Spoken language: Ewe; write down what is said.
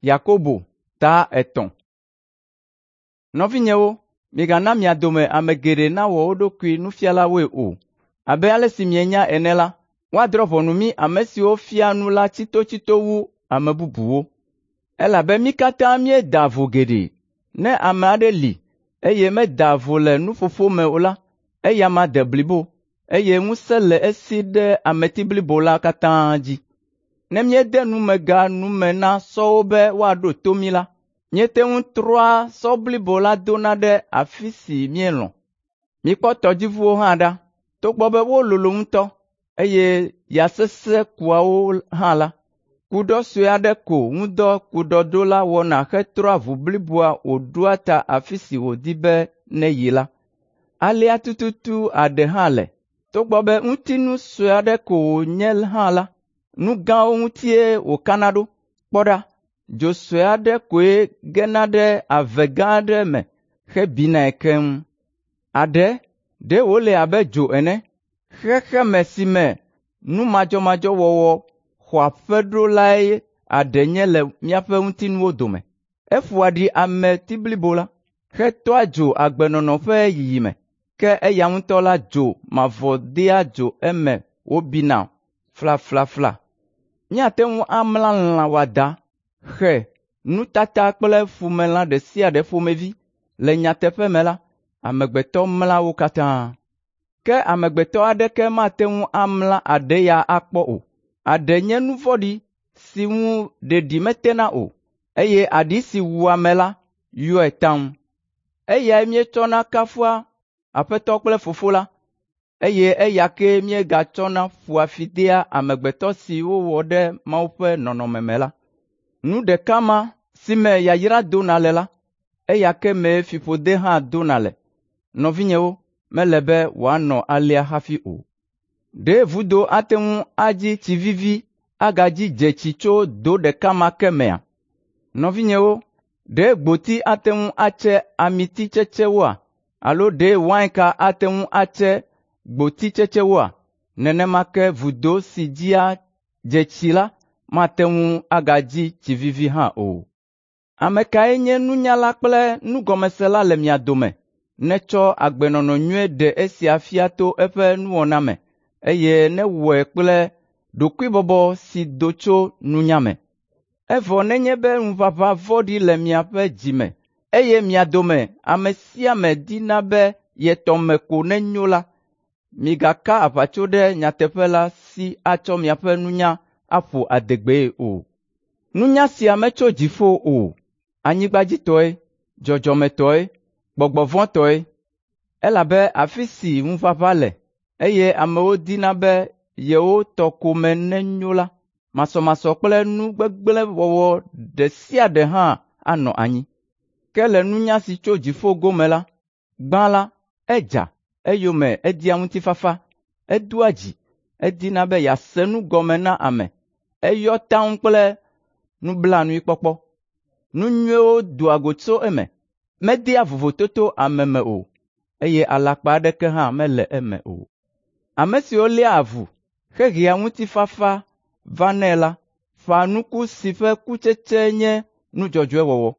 Yakobo ta 3. Nɔvinyewo, migana mia dome ame geɖe nawɔ wo ɖokui nufialawoe o. Abe ale si mienya ene la, woadrɔ̃ ʋɔnu mí ame siwo fiaa nu la tsitotsito wu ame bubuwo. Elabe mí katã míedaa vo geɖe. Ne ame aɖe li, eye medaa vo le nuƒoƒo me o la, eya ma de blibo, eye ŋusẽ le esi ɖe ameti blibo la katã dzi. Ne míede numega nu me na sɔwo be woaɖo to mí la, míete ŋu trɔa sɔ blibo la dona ɖe afi si míelɔ̃. Mikpɔ tɔdziʋuwo hã ɖa. Togbɔ be wololo ŋutɔ, eye ya sesẽ kua wo hã la, kuɖɔ sue aɖe ko ŋu dɔ kuɖɔɖola wɔna hetrɔa ʋu bliboa wòɖoa ta afi si wòdi be neyi la. Alea tututu aɖe hã le. Togbɔ be ŋutinu sue aɖe ko wònye hã la, nu gãwo ŋutie wòkana ɖo. Kpɔ ɖa, dzo sue aɖe koe gena ɖe ave gã aɖe me hebinae keŋ. Aɖe, ɖe wòle abe dzo ene, xexeme si me nu madzɔmadzɔ wɔwɔ xɔ aƒe ɖo lae aɖe nye le míaƒe ŋutinuwo dome. Eƒoa ɖi ameti blibo la, hetɔa dzo agbenɔnɔ ƒe yiyime, ke eya ŋutɔ la dzo mavɔ dea dzo eme wòbina flaflafla. Míate ŋu amla lã wɔadã, xe, nutata kple ƒumelã ɖe sia ɖe ƒomevi. Le nyateƒe me la, amegbetɔ mla wo katã. Ke amegbetɔ aɖeke mate ŋu amla aɖe ya akpɔ o. Aɖe nye nu vɔ̃ɖi si ŋu ɖeɖi metena o, eye aɖi si wua ame la yɔe taŋ. Eyae míetsɔna kafua Aƒetɔ kple Fofo la, eye eya kee míegatsɔna ƒoa fi dea amegbetɔ si wowɔ ɖe Mawu ƒe nɔnɔme me la. Nu ɖeka ma si me yayra dona le la, eya ke mee fiƒode hã dona le. Nɔvinyewo, mele be wòanɔ alea hafi o. Ɖe vudo ate ŋu adzi tsi vivi agadzi dzetsi tso do ɖeka ma ke mea? Nɔvinyewo, ɖe gboti ate ŋu atse amititsetsewoa? Alo ɖe wainka ate ŋu atse gbotitsetsewoa? Nenema ke vudo si dzia dzetsi la mate ŋu agadzi tsi vivi hã o. Ame kae nye nunyala kple nugɔmesela le mia dome netsɔ agbenɔnɔ nyui ɖe esia fia to eƒe nuwɔna me, eye newɔe kple ɖokuibɔbɔ si do tso nunya me. Evɔ nenye be ŋuʋaʋã vɔ̃ɖi le miaƒe dzi me, eye mia dome ame sia ame dina be ye tɔ me ko nenyo la, migaka aʋatso ɖe nyateƒe la si atsɔ miaƒe nunya aƒo adegbee o. Nunya sia metso dziƒo o, anyigbadzitɔe, dzɔdzɔmetɔe, gbɔgbɔ vɔ̃tɔe. Elabe afi si ŋuʋaʋã le, eye amewo dina be yewo tɔ ko me nenyo la, masɔmasɔ kple nu gbegblẽ wɔwɔ ɖe sia ɖe hã anɔ anyi. Ke le nunya si tso dziƒo gome la, gbã la, edza, eyome edia ŋutifafa, edoa dzi, edina be yease nu gɔme na ame, eyɔ taŋ kple nublanuikpɔkpɔ. Nu nyuiwo doa go tso eme, medea vovototo ame me o, eye alakpa aɖeke hã mele eme o. Ame siwo léa avu hehea ŋutifafa vanɛ la ƒãa nuku si ƒe kutsetse nye nu dzɔdzɔe wɔwɔ.